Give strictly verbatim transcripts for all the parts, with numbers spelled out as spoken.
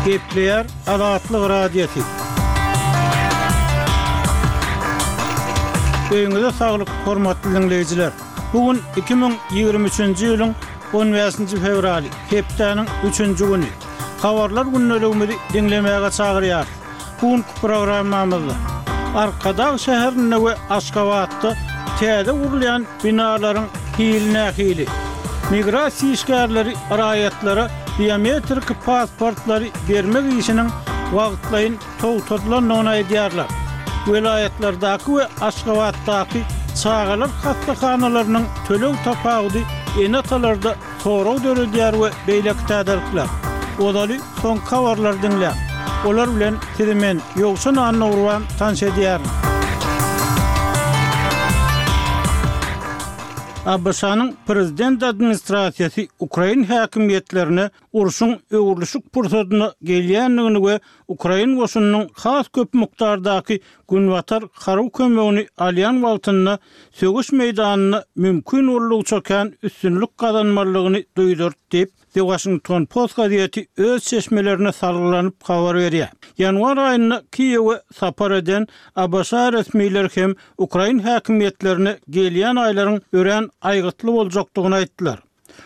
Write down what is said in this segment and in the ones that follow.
Gepleýär Azatlyk Radiosy. Öýüňize saglyk, hormatly diňleýjiler. Bu gün iki müň ýigrimi üçünji ýylyň on bäşinji fewraly, hepdäniň üçünji güni. Habarlar gündeligimizi diňlemäge çagyrýarys. Bu günki programmamyzda Arkadag şäherinde we Aşgabatda täze gurulýan binalaryň hili nähili? Migrasiýa işgärleri raýatlara biometrik pasportlary bermek işiniň wagtlaýyn togtadylandygyny aýdýarlar. Welaýatlardaky we Aşgabatdaky çagalar hassahanalarynyň töleg tapawudy ene-atalarda sorag döredýär we beýleki täzelikler. Ozaly soňky habarlary diňläň. Olar bilen sizi men, Ýowşan Annagurban tanyş edýärin. ABŞ-nyň prezident administrasiýasy ukrain häkimiýetlerine urşuň öwrülişik pursadyna gelýändigini we ukrain goşunynyň has köp mukdardaky günbatar harby kömegini alýan wagtynda söweş meýdanynda mümkin boldugyça kän üstünlik gazanmalydygyny duýdurdy diýip, The Washington Post gazeti öz çeşmelerine salgylanyp habar berýär. Ýanwar aýynda Kiýewe sapar eden ABŞ resmileri hem ukrain häkimiýetlerine gelýän aýlaryň örän aýgytly boljakdygyny aýtdylar.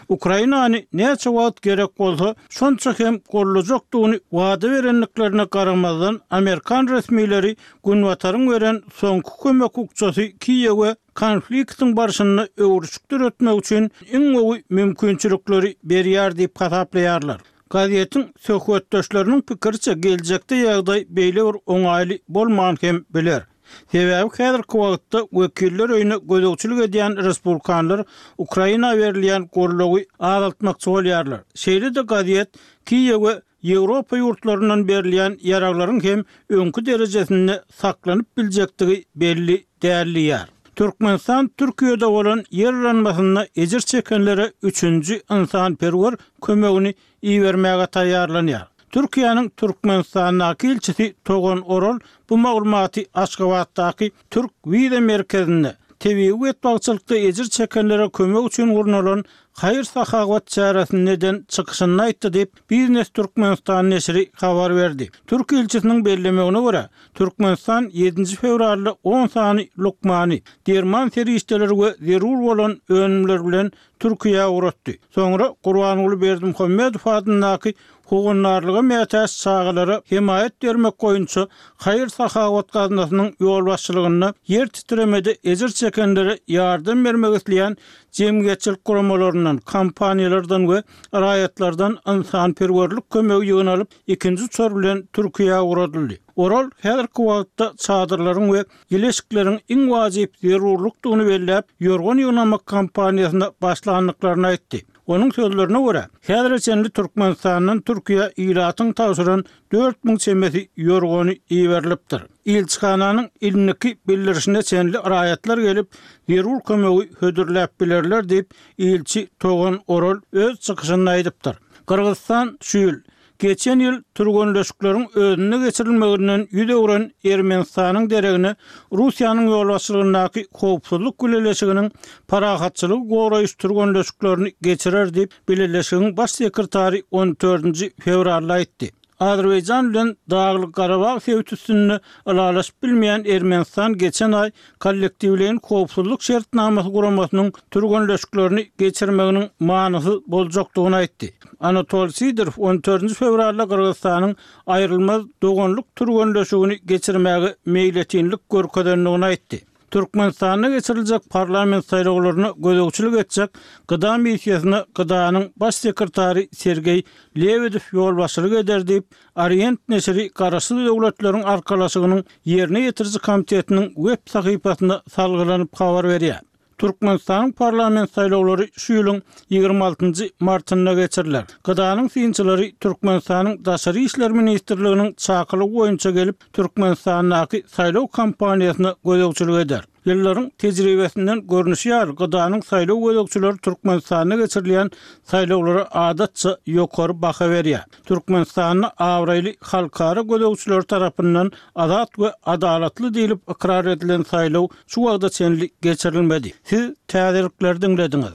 Ukrainany näçe wagt gerek bolsa, şonça hem gollajakdygyny wada berendiklerine garamazdan, amerikan resmileri Günbataryň beren soňky kömek bukjasy Kiýewe konfliktiň barşynda öwrüşik döretmek üçin iň gowy mümkinçilikleri berýär diýip hasaplaýarlar. Gazetiň söhbetdeşleriniň pikiriçe, geljekde ýagdaý beýle bir oňaýly bolman hem biler. Sebäbi häzirki wagtda Wekiller öýüne gözegçilik edýän respublikanlar Ukraina berilýän goldawy azaltmakçy bolýarlar. Şeýle-de gazet Kiýewe Ýewropa ýurtlaryndan berilýän ýaraglaryň hem öňki derejesinde saklanyp biljekdigi belli däl diýýär. Türkmenistan Türkiýede bolan ýer yranmasynda ejir çekenlere üçünji ynsanperwer kömegini ibermäge taýýarlanýar. Türkiýäniň Türkmenistandaky ilçisi Togan Oral bu maglumaty Aşgabatdaky Türk wiza merkezinde tebigy betbagtçylykda ejir çekenlere kömek üçin gurnalan haýyr-sahawat çäresinde eden çykyşynda aýtdy diýip, Biznes Türkmenistan neşiri habar berdi. Türk ilçisiniň bellemegine görä, Türkmenistan ýedinji fewralda on sany lukmany, derman serişdeleri we zerur bolan önümler bilen Türkiýä ugratdy. Soňra Gurbanguly Berdimuhamedow adyndaky howandarlyga mätäç çagalara hemaýat bermek boýunça haýyr-sahawat gaznasynyň ýolbaşçylygynda ýer titremede ejir çekenlere ýardam bermek isleýän jemgyýetçilik guramalaryndan, kompaniýalardan we raýatlardan ynsanperwerlik kömegi ýygnalyp, ikinji uçar bilen Türkiýä ugradyldy. Oral häzirki wagtda çadyrlaryň we ýyly eşikleriň iň wajyp zerurlykdygyny belläp, ýorgan ýygnamak kampaniýasyna başlandyklaryny aýtdy. Onuň sözlerine görä, häzire çenli Türkmenistandan Türkiýä ilatyň tabşyran dört müň çemesi ýorgany iberilipdir. Ilçihananyň indiki bildirişine çenli raýatlar gelip, zerur kömegi hödürläp bilerler diýip, ilçi Togan Oral öz çykyşynda aýdypdyr. Gyrgyzystan şu ýyl geçen ýyl türgenleşikleriň özünde geçirilmeginden ýüz öwren Ermenistanyň deregine Russiýanyň ýolbaşçylygyndaky howpsuzlyk bileleşiginiň parahatçylygy goraýyş türgenleşiklerini geçirer diýip, bileleşigiň baş sekretary on dördünji fewralda aýtdy. Azerbaýjan bilen Daglyk Garabag sebiti üstünde ylalaşyp bilmeýän Ermenistan geçen aý kollektiwleýin howpsuzlyk şertnamasy guramasynyň türgenleşiklerini geçirmeginiň manysyz boljakdygyny aýtdy. Anatol Sidorow on dördünji fewralda Gyrgyzystanyň aýrylmaz doganlyk türgenleşigini geçirmäge meýletinlik görkezendigini aýtdy. Türkmenistanda geçiriljek parlament saýlawlaryna gözegçilik etjek GDA missiýasyna GDA-nyň baş sekretary Sergeý Lebedew ýolbaşçylyk eder diýip, Orient neşiri Garaşsyz Döwletleriň Arkalaşygynyň Ýerine ýetiriji komitetiniň web sahypasyna salgylanyp habar berýär. Türkmenistanyň parlament saýlawlary şu ýylyň ýigrimi altynjy martynda geçiriler. GDA-nyň synçylary Türkmenistanyň Daşary işler ministrliginiň çakylygy boýunça gelip, Türkmenistandaky saýlaw kampaniýasyna gözegçilik eder. Ýyllaryň tejribesinden görnüşi ýaly, GDA-nyň saýlaw gözegçileri Türkmenistanda geçirilýän saýlawlara adatça ýokary baha berýär. Türkmenistanda abraýly halkara gözegçileri tarapyndan azat we adalatly diýlip ykrar edilen saýlaw şu wagta çenli geçirilmedi. Siz täzelikleri diňlediňiz.